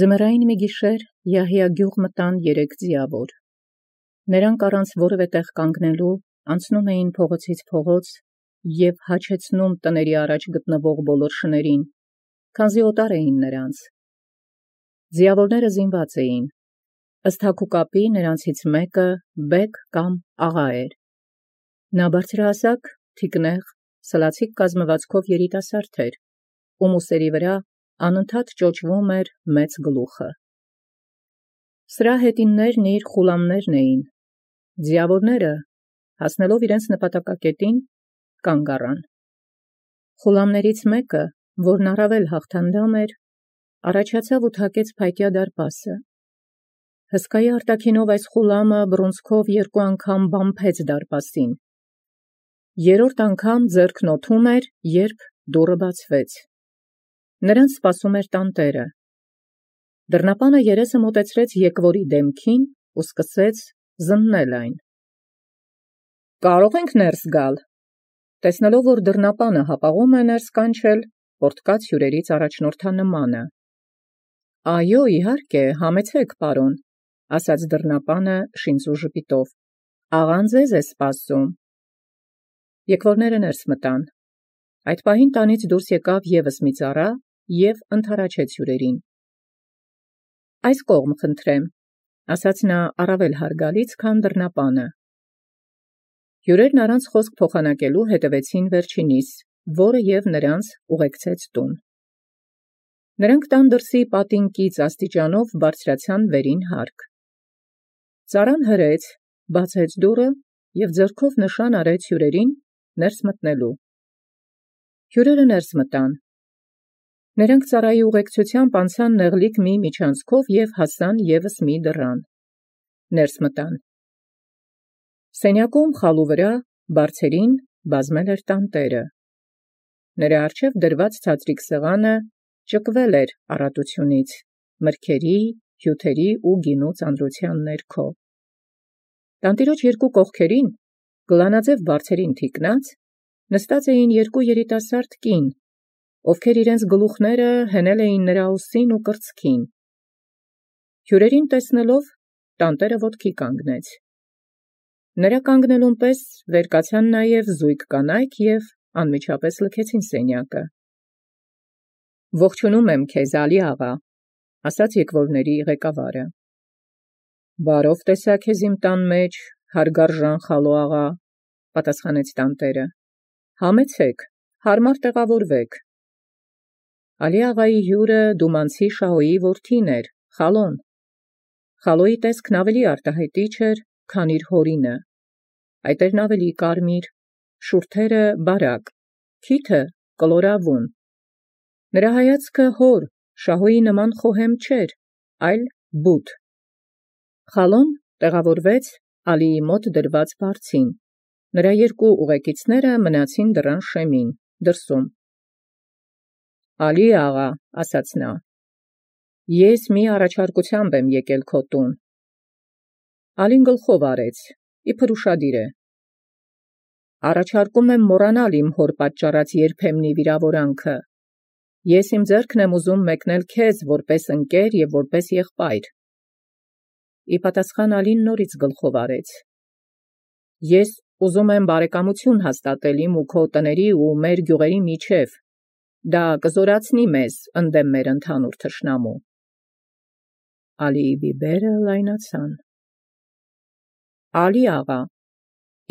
Ձմեռային մի գիշեր Յահիա գյուղ մտան 3 ձիավոր. նրանք առանց որևէ տեղ կանգնելու անցնում էին փողոցից փողոց և հաչեցնում տների առաջ գտնվող բոլոր շներին, քանզի օտար էին նրանց. ձիավորները զինված էին, ըստ հագուկապի նրանցից մեկը բեկ կամ աղա էր. նա բարձրահասակ, թիկնեղ, սլացիկ կազմվածքով երիտասարդ էր, ում ուսերի վրա անընդհատ ճոճվում էր մեծ գլուխը. սրա հետիններն իր խուլամներն էին. ձիավորները, հասնելով իրենց նպատակակետին, կանգ առան. խուլամներից մեկը, որն առավել հաղթանդամ էր, առաջացավ ու թակեց փայտյա դարպասը. հսկայի արտաքինով այս խուլամը բռունցքով 2 անգամ բամփեց դարպասին. երրորդ անգամ ձեռքն օդում էր, երբ դուռը բացվեց. նրանց սպասում էր տանտերը. Դռնապանը երեսը մոտեցրեց եկվորի դեմքին ու սկսեց զննել այն. «Կարո՞ղ ենք ներս գալ»։ Տեսնելով, որ դռնապանը հապաղում է ներս կանչել, պորտկաց հյուրերից առաջնորդանմանը. «Այո, իհարկե, համեցեք, պարոն», ասաց դռնապանը շինծու ժպիտով, «աղան ձեզ է սպասում»։ Եկվորները ներս մտան. այդ պահին տանից դուրս եկավ ևս մի ծառա և ընդառաջեց հյուրերին. «Այս կողմ խնդրեմ», ասաց նա առավել հարգալից, քան դռնապանը։ Հյուրերն առանց խոսք փոխանակելու հետևեցին վերջինիս, որը և նրանց ուղեկցեց տուն։ Նրանք տան դրսի պատինկից աստիճանով բարձրացան վերին հարկ։ Ծառան հրեց, բացեց դուռը և ձեռքով նշան արեց հյուրերին ներս մտնելու։ Հյուրերը ներս մտան։ Նրանք ծառայի ուղեկցությամբ անցան նեղլիկ մի միջանցքով և հասան ևս մի դռան։ Ներս մտան։ Սենյակում խալու վրա, բարձերին, բազմել էր տանտերը։ Նրա առջև դրված ցածրիկ սեղանը ճկվել էր առատությունից, մրգերի, հյութերի ու գինու ծանրության ներքո։ Տանտիրոջ 2 կողքերին, գլանաձև բարձերին թիկնած, նստած էին 2 երիտասարդ կին, ովքեր իրենց գլուխները հենել էին նրա ուսին ու կրծքին։ Հյուրերին տեսնելով, տանտերը ոտքի կանգնեց։ Նրա կանգնելուն պես վեր կացան նաև զույգ կանայք և անմիջապես լքեցին սենյակը։ «Ողջունում եմ քեզ, Ալի աղա», ասաց եկվորների ղեկավարը։ «Բարով տեսա քեզ իմ տան մեջ, հարգարժան Խալո աղա», պատասխանեց տանտերը։ «Համեցեք, հարմար տեղավորվեք»։ Ալի աղայի հյուրը դումանցի Շահոյի որդին էր, Խալոն։ Խալոյի տեսքն ավելի արտահայտիչ էր, քան իր հորինը. այտերն ավելի կարմիր, շուրթերը բարակ, քիթը կլորավուն։ Նրա հայացքը հոր, Շահոյի նման խոհեմ չէր, այլ բութ։ Խալոն տեղավորվեց Ալիի մոտ դրված բարձին, նրա 2 ուղեկիցները մնացին դռան շեմին, դրսում։ «Ալի աղա», ասաց նա, «ես մի առաջարկությամբ եմ եկել քո տուն»։ Ալին գլխով արեց, իբր ուշադիր է. «Առաջարկում եմ մոռանալ իմ հոր պատճառած երբեմնի վիրավորանքը։ Ես իմ ձեռքն եմ ուզում մեկնել քեզ որպես ընկեր և որպես եղբայր»։ Ի պատասխան Ալին նորից գլխով արեց. «Ես ուզում եմ բարեկամություն հաստատել իմ ու քո տների ու մեր գյուղերի միջև. դա կզորացնի մեզ ընդդեմ մեր ընդհանուր թշնամու»։ Ալիի բիբերը լայնացան. «Ալի աղա,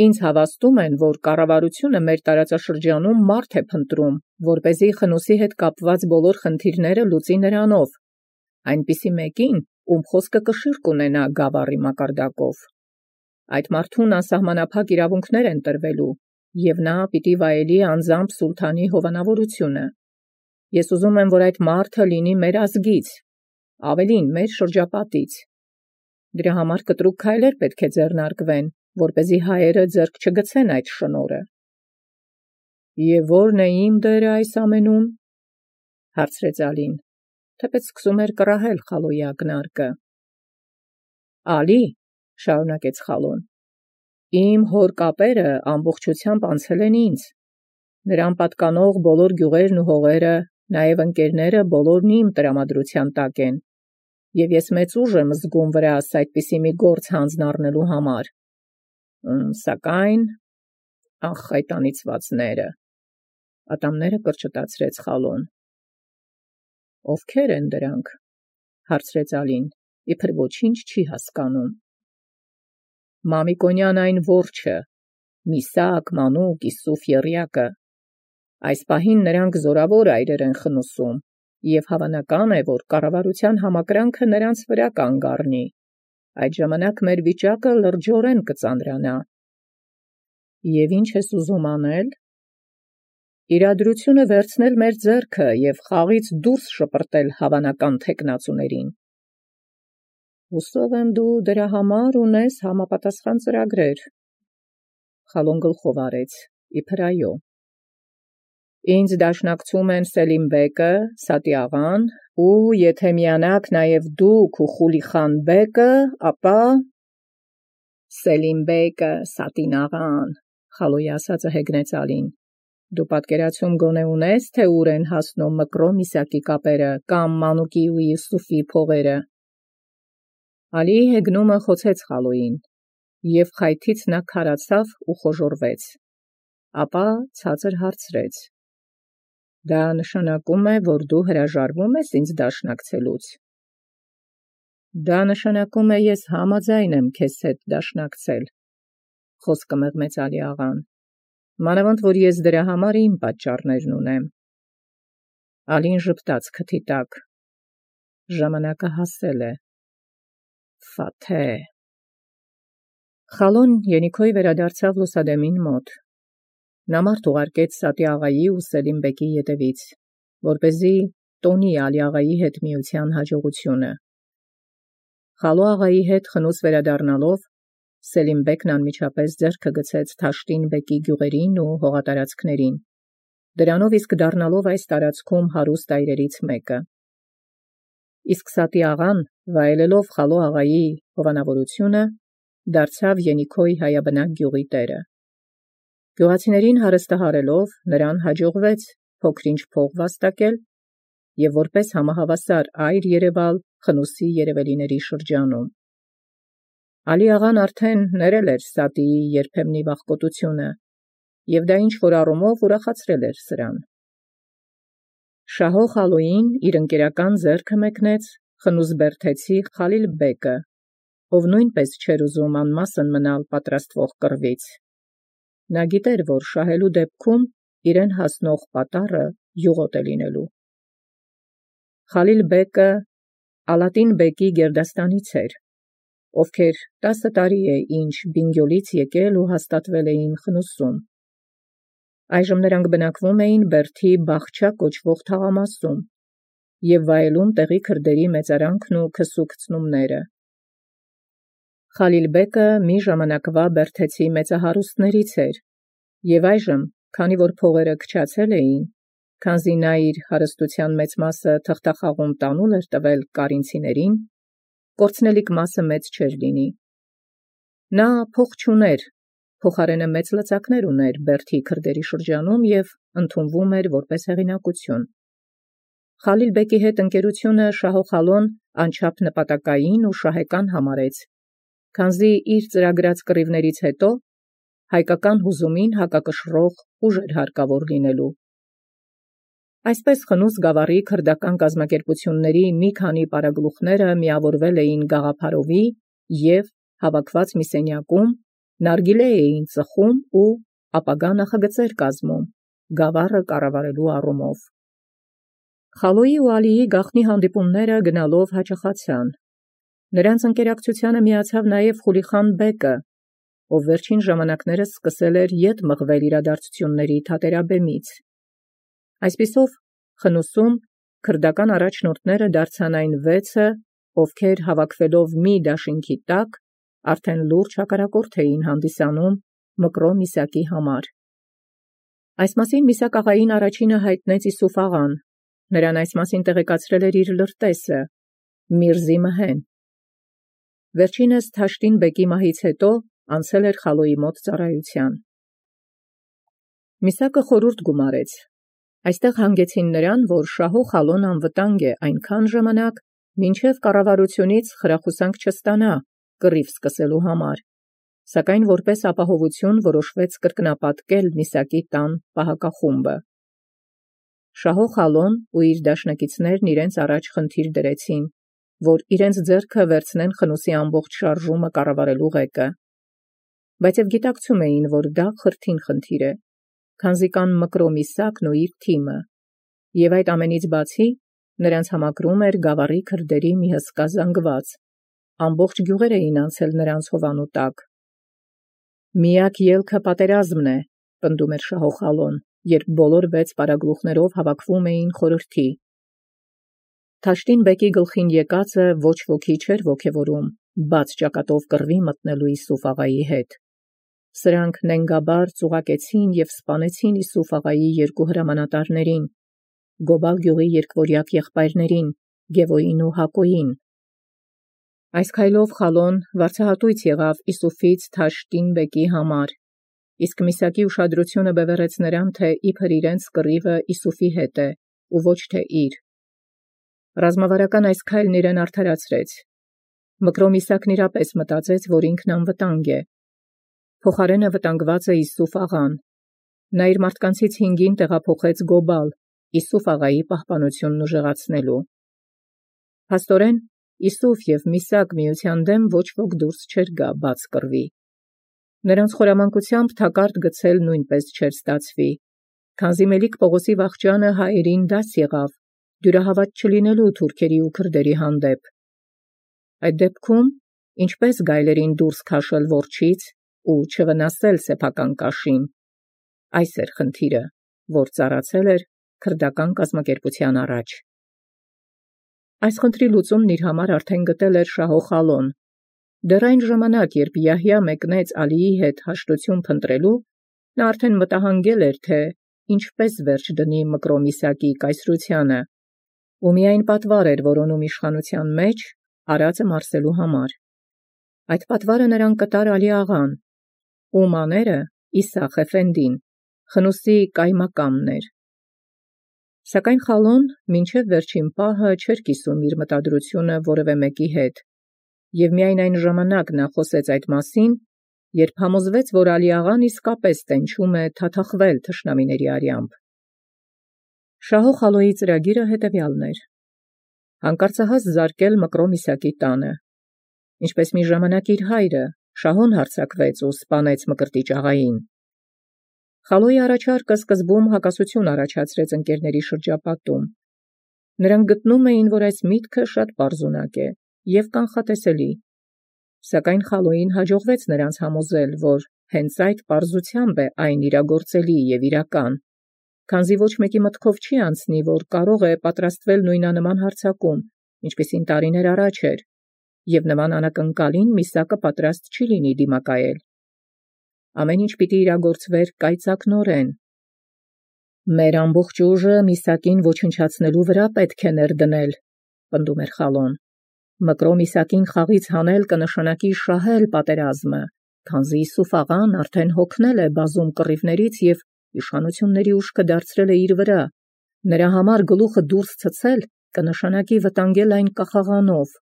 ինձ հավաստում են, որ կառավարությունը մեր տարածաշրջանում մարդ է փնտրում, որպեսզի Խնուսի հետ կապված բոլոր խնդիրները լուծի նրանով, այնպիսի մեկին, ում խոսքը կշիռ կունենա գավառի մակարդակով։ Այդ մարդուն անսահմանափակ իրավունքներ են տրվելու, և նա պիտի վայելի անձամբ սուլթանի հովանավորությունը։ Ես ուզում եմ, որ այդ մարդը լինի մեր ազգից, ավելին մեր շրջապատից։ Դրա համար կտրուկ քայլեր պետք է ձեռնարկվեն, որպեսզի հայերը ձեռք չգցեն այդ շնորհը»։ «Եվ ո՞րն է իմ դերը այս ամենում», հարցրեց Ալին, թեպետ սկսում էր կռահել Խալոյի ակնարկը։ «Ալի», շարունակեց Խալոն, «իմ հոր կապերը ամբողջությամբ անցել են ինձ։ Նրան պատկանող բոլոր գյուղերն ու հողերը, նաև ընկերները բոլորն իմ տրամադրության տակ են, Եվ ես մեծ ուժ եմ զգում վրաս այդպիսի մի գործ հանձն առնելու համար։ Սակայն ախ այդ անիծվածները, ատամները կրճտացրեց Խալոն։ Ովքեր են դրանք, հարցրեց Ալին, իբր ոչինչ չի հասկանում։ Մամիկոնյան այն որջը, Միսակ, Մանուկ, Իսուֆ եռյակը, այս պահին նրանք զորավոր այրեր են խնուսում, և հավանական է, որ կառավարության համակրանքը նրանց վրա կանգ առնի, այդ ժամանակ մեր վիճակը լրջորեն կծանրանա։ Եվ ինչ ես ուզում անել։ Իրադրությունը վերցնել մեր ձեռքը և խաղից դուրս շպրտել հավանական թեկնածուներին։ Հուսով եմ դու դրա համար ունես համապատասխան ծրագրեր։ Խալոն գլխով արեց, իբր այո։ Ինձ դաշնակցում են Սելիմ բեկը, Սատի աղան, ու եթե միանաք նաև դուք ու Խուլիխան բեկը, ապա… Սելիմ բեկը, Սատին աղան, Խալոյի ասածը հեգնեց Ալին։ Դու պատկերացում գոնե ունես, թե ուր են հասնում Մկրո Միսակի կապերը կամ Մանուկի ու Յուսուֆի փողերը։ Ալիի հեգնումը խոցեց Խալոյին, և խայթից նա քարացավ ու խոժոռվեց, ապա ցածր հարցրեց. Դա նշանակում է, որ դու հրաժարվում ես ինձ դաշնակցելուց։ Դա նշանակում է, ես համաձայն եմ քեզ հետ դաշնակցել, խոսքը մեղմեց Ալի աղան, մանավանդ որ ես դրա համար իմ պատճառներն ունեմ։ Ալին ժպտաց քթի տակ։ Ժամանակը հասել է։ Ֆաթե։ Խալոն ենիքոյ վերադարձավ լուսադեմին մոտ։ Նա մարդ ուղարկեց Սատի աղայի ու Սելիմ բեկի ետևից, որպեսզի տոնի Ալի աղայի հետ միության հաջողությունը։ Խալո աղայի հետ խնուս վերադառնալով, Սելիմ բեկն անմիջապես ձեռքը գցեց Թաշտին բեկի գյուղերին ու հողատարածքներին, դրանով իսկ դառնալով այս տարածքում հարուստ այրերից մեկը։ Իսկ Սատի աղան, վայելելով Խալո աղայի հովանավորությունը, դարձավ Ենիքոյ հայաբնակ գյուղի տերը։ Գյուղացիներին հարստահարելով, նրան հաջողվեց փոքր-ինչ փող վաստակել և որպես համահավասար այր երևալ խնուսի երևելիների շրջանում։ Ալի աղան արդեն ներել էր Սատիի երբեմնի վախկոտությունը, և դա ինչ-որ առումով ուրախացրել էր սրան։ Շահո Խալոյին իր ընկերական ձեռքը մեկնեց խնուս բերդեցի Խալիլ բեկը, ով նույնպես չէր ուզում անմասն մնալ պատրաստվող կռվից։ Նա գիտեր, որ շահելու դեպքում իրեն հասնող պատառը յուղոտ է լինելու։ Խալիլ բեկը Ալատին բեկի գերդաստանից էր, ովքեր 10 տարի է ինչ Բինգյոլից եկել ու հաստատվել էին խնուսում։ Այժմ նրանք բնակվում էին Բերդի Բաղչա կոչվող թաղամասում և վայելում տեղի քրդերի մեծարանքն ու քսուքցնումները։ Խալիլ բեկը մի ժամանակվա բերդեցի մեծահարուստներից էր, և այժմ, քանի որ փողերը քչացել էին, քանզի նա իր հարստության մեծ մասը թղթախաղում տանուլ էր տվել կարինցիներին, կորցնելիք մասը մեծ չէր լինի։ Նա փող չուներ, փոխարենը մեծ լծակներ ուներ Բերդի քրդերի շրջանում և ընդունվում էր որպես հեղինակություն։ Խալիլ բեկի հետ ընկերությունը Շահո Խալոն անչափ նպատակային ու շահեկան համարեց, քանզի իր ծրագրած կռիվներից հետո հայկական հուզումին հակակշռող ուժ էր հարկավոր լինելու։ Այսպես խնուս գավառի քրդական կազմակերպությունների մի քանի պարագլուխները միավորվել էին գաղափարովի և, հավաքված մի սենյակում, նարգիլե էին ծխում ու ապագա նախագծեր կազմում գավառը կառավարելու առումով։ Խալոյի ու Ալիի գաղտնի հանդիպումները գնալով հաճախացան։ Նրանց ընկերակցությանը միացավ նաև Խուլիխան բեկը, ով վերջին ժամանակներս սկսել էր ետ մղվել իրադարձությունների թատերաբեմից։ Այսպիսով, խնուսում քրդական առաջնորդները դարձան այն 6-ը, ովքեր հավաքվելով մի դաշինքի տակ, արդեն լուրջ հակառակորդ էին հանդիսանում Մկրո Միսակի համար։ Այս մասին Միսակ աղային առաջինը հայտնեց Իսուֆ աղան, նրան այս մասին տեղեկացրել էր իր լրտեսը, Միրզի Մհեն։ Վերջինս Թաշտին բեկի մահից հետո անցել էր Խալոյի մոտ ծառայության։ Միսակը խորհուրդ գումարեց։ Այստեղ հանգեցին նրան, որ Շահո Խալոն անվտանգ է այնքան ժամանակ, մինչև կառավարությունից խրախուսանք չստանա կռիվ սկսելու համար, սակայն որպես ապահովություն որոշվեց կրկնապատկել Միսակի տան պահակախումբը։ Շահո Խալոն ու իր դաշնակիցներն իրենց առաջ խնդիր դրեցին, որ իրենց ձեռքը վերցնեն խնուսի ամբողջ շարժումը կառավարելու ղեկը։ Բայց եւ գիտակցում էին, որ դա խրթին խնդիր է, քանզի կան Մկրո Միսակն ու իր թիմը, եւ այդ ամենից բացի նրանց համակրում էր գավառի քրդերի մի հսկա զանգված, ամբողջ գյուղեր էին անցել նրանց հովանու տակ։ Միակ ելքը պատերազմն է, պնդում էր Շահո Խալոն, երբ բոլոր 6 պարագլուխներով հավաքվում էին խորհրդի։ Թաշտին բեկի գլխին եկածը ոչ ոքի չէր ոգևորում, բաց ճակատով կռվի մտնելու Իսուֆ աղայի հետ։ Սրանք նենգաբար ծուղակեցին եւ սպանեցին Իսուֆ աղայի 2 հրամանատարներին, Գոբալ գյուղի երկվորյակ եղբայրներին, Գևոյին ու Հակոյին։ Այս քայլով Խալոն վարձահատույց եղավ Իսուֆից Թաշտին բեկի համար, իսկ Միսակի ուշադրությունը բևեռեց նրան, թե իբր իրենց կռիվը Իսուֆի հետ է, ու ոչ թե իր։ Ռազմավարական այս քայլն իրեն արդարացրեց։ Մկրո Միսակն իրապես մտածեց, որ ինքն անվտանգ է։ Փոխարենը վտանգված է Իսուֆ աղան։ Նա իր մարդկանցից 5-ին տեղափոխեց Գոբալ, Իսուֆ աղայի պահպանությունն ուժեղացնելու։ Փաստորեն, Իսուֆ եւ Միսակ միության դեմ ոչ ոք դուրս չէր գա բաց կռվի։ Նրանց խորամանկությամբ թակարդ գցել նույնպես չէր ստացվի, քանզի Մելիք Պողոսի վախճանը հայերին դաս եղավ, դյուրահավատ չլինելու թուրքերի ու քրդերի հանդեպ։ Այդ դեպքում ինչպես գայլերին դուրս քաշել որջից ու չվնասել սեփական կաշին։ Այս էր խնդիրը, որ ծառացել էր քրդական կազմակերպության առաջ։ Այս խնդրի լուծումն իր համար արդեն գտել էր Շահո Խալոն։ Դեռ այն ժամանակ, երբ Յահյա մեկնեց Ալիի հետ հաշտություն փնտրելու, նա արդեն մտահանգել էր, թե ինչպես վերջ դնի Մկրո Միսակի կայսրությանը, ու միայն պատվար էր որոնում իշխանության մեջ արածը մարսելու համար։ Այդ պատվարը նրան կտար Ալի աղան, ում աները Իսախ Էֆենդին, խնուսի կայմակամն էր։ Սակայն Խալոն մինչև վերջին պահը չէր կիսում իր մտադրությունը որևէ մեկի հետ, եւ միայն այն ժամանակ նա խոսեց այդ մասին, երբ համոզվեց, որ Ալի աղան իսկապես տենչում է թաթախվել թշնամիների արյամբ։ Շահո Խալոյի ծրագիրը հետևյալն էր. հանկարծահաս զարկել Մկրո Միսակի տանը, ինչպես մի ժամանակ իր հայրը Շահոն հարձակվեց ու սպանեց Մկրտիչ աղային։ Խալոյի առաջարկը սկզբում հակասություն առաջացրեց ընկերների շրջապատում։ Նրանք գտնում էին, որ այս միտքը շատ պարզունակ է եւ կանխատեսելի։ Սակայն Խալոյին հաջողվեց նրանց համոզել, որ հենց այդ պարզությամբ է այն իրագործելի եւ իրական, քանզի ոչ մեկի մտքով չի անցնի, որ կարող է պատրաստվել նույնանման հարձակում, ինչպիսին տարիներ առաջ էր, եւ նման անակնկալին Միսակը պատրաստ չի լինի դիմակայել։ Ամեն ինչ պիտի իրագործվեր կայծակնորեն։ Մեր ամբողջ ուժը Միսակին ոչնչացնելու վրա պետք է ներդնել, պնդում էր Խալոն։ Մկրո Միսակին խաղից հանել կնշանակի շահել պատերազմը, քանզի Իսուֆ աղան արդեն հոգնել է բազում կռիվներից եւ իշխանությունների ուժքը դարձրել է իր վրա։ Նրա համար գլուխը դուրս ցցել կնշանակի վտանգել այն կախաղանով։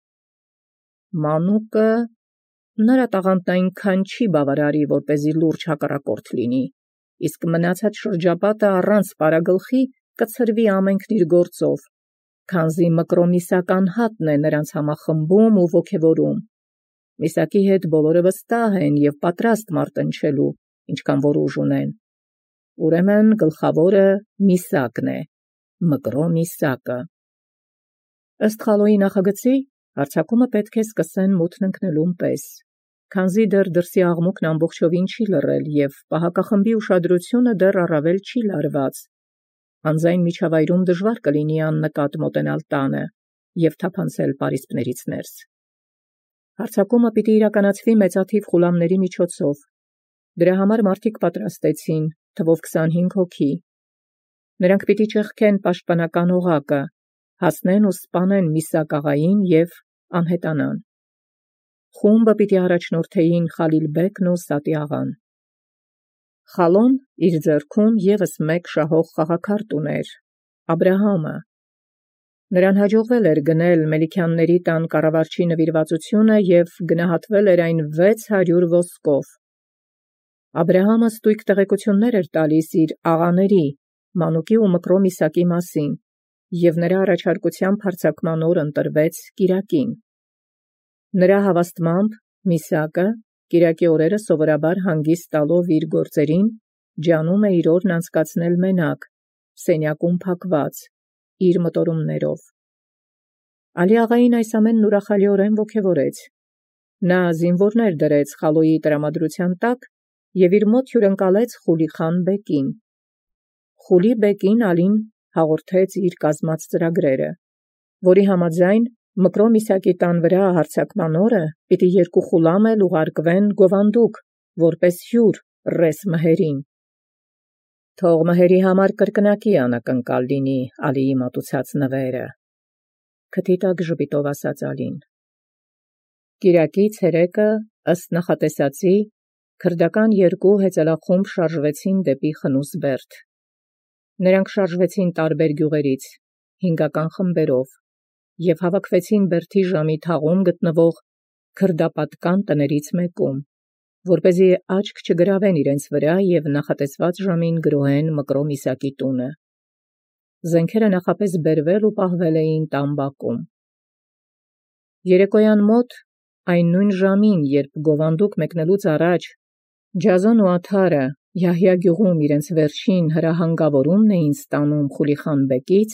Մանուկը նրա տաղանդն այնքան չի բավարարի, որպեսզի լուրջ հակառակորդ լինի, իսկ մնացած շրջապատը առանց պարագլխի կցրվի ամենքն իր գործով, քանզի Մկրո Միսական հատն է նրանց համախմբում ու ոգևորում։ Միսակի հետ բոլորը վստահ են եւ պատրաստ մարտնչելու, ինչքան որ ուժ ունեն։ Ուրեմն գլխավորը Միսակն է, Մկրո Միսակը։ Ըստ Խալոյի նախագծի, հարձակումը պետք է սկսեն մութն ընկնելուն պես, քանզի դեռ դրսի աղմուկն ամբողջովին չի լռել եւ պահակախմբի ուշադրությունը դեռ առավել չի լարված։ Անձայն միջավայրում դժվար կլինի աննկատ մոտենալ տանը եւ թափանցել պարիսպներից ներս։ Հարձակումը պիտի իրականացվի մեծաթիվ խուլամների միջոցով։ Դրա համար մարդիկ պատրաստեցին, թվով 25 հոգի։ Նրանք պիտի ճեղքեն պաշտպանական օղակը, հասնեն ու սպանեն Միսակ աղային եւ անհետանան։ Խումբը պիտի առաջնորդեին Խալիլ բեկն ու Սատի աղան։ Խալոն իր ձեռքում եւս մեկ շահող խաղաքարտ ուներ՝ Աբրահամը։ Նրան հաջողվել էր գնել Մելիքյանների տան կառավարչի նվիրվածությունը և գնահատվել էր այն 600 ոսկով։ Աբրահամը ստույգ տեղեկություններ էր տալիս իր աղաների, Մանուկի ու Մկրոմ Իսակի մասին, և նրա առաջարկությամբ հարձակման օր ընտրվեց կիրակին։ Նրա հավաստմամբ Միսակը կիրակի օրերը սովորաբար հանգիստ տալով իր գործերին, ջանում է իր օրն անցկացնել մենակ, սենյակում փակված, իր մտորումներով։ Ալի աղային այս ամենն ուրախալիորեն ոգևորեց։ Նա զինվորներ դրեց Խալոյի տրամադրության տակ և իր մոտ հյուրընկալեց Խուլիխան բեկին։ Խուլի բեկին Ալին հաղորդեց իր կազմած ծրագրերը, որի համաձայն Մկրոմ Իսակի տան վրա հարձակման օրը պիտի 2 խուլամ էլ ուղարկվեն գովանդուկ, որպես հյուր ռես մհերին։ Թող մհերի համար կրկնակի անակնկալ լինի Ալիի մատուցած նվերը, քթի տակ ժպիտով ասաց Ալին։ Կիրակի ցերեկը ըստ նախատեսածի քրդական 2 հեծելախումբ շարժվեցին դեպի Խնուսբերդ։ Նրանք շարժվեցին տարբեր գյուղերից, 5 խմբերով, և հավաքվեցին Բերդի ժամի թաղում գտնվող քրդապատկան տներից մեկում, որպեսզի աչք չգրավեն իրենց վրա և նախատեսված ժամին գրոհեն Մկրոմ Իսակի տունը։ Զենքերը նախապես բերվել ու պահվել էին տան բակում։ Երեկոյան մոտ, այն նույն ժամին, երբ գովանդուկ մեկնելուց առաջ Ջազոն ու Աթարը Յահյա գյուղում իրենց վերջին հրահանգավորումն էին ստանում Խուլիխան բեկից,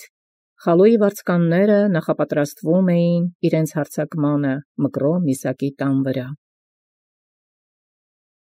Խալոյի վարձկանները նախապատրաստվում էին իրենց հարձակմանը Մկրոմ Իսակի տան վրա։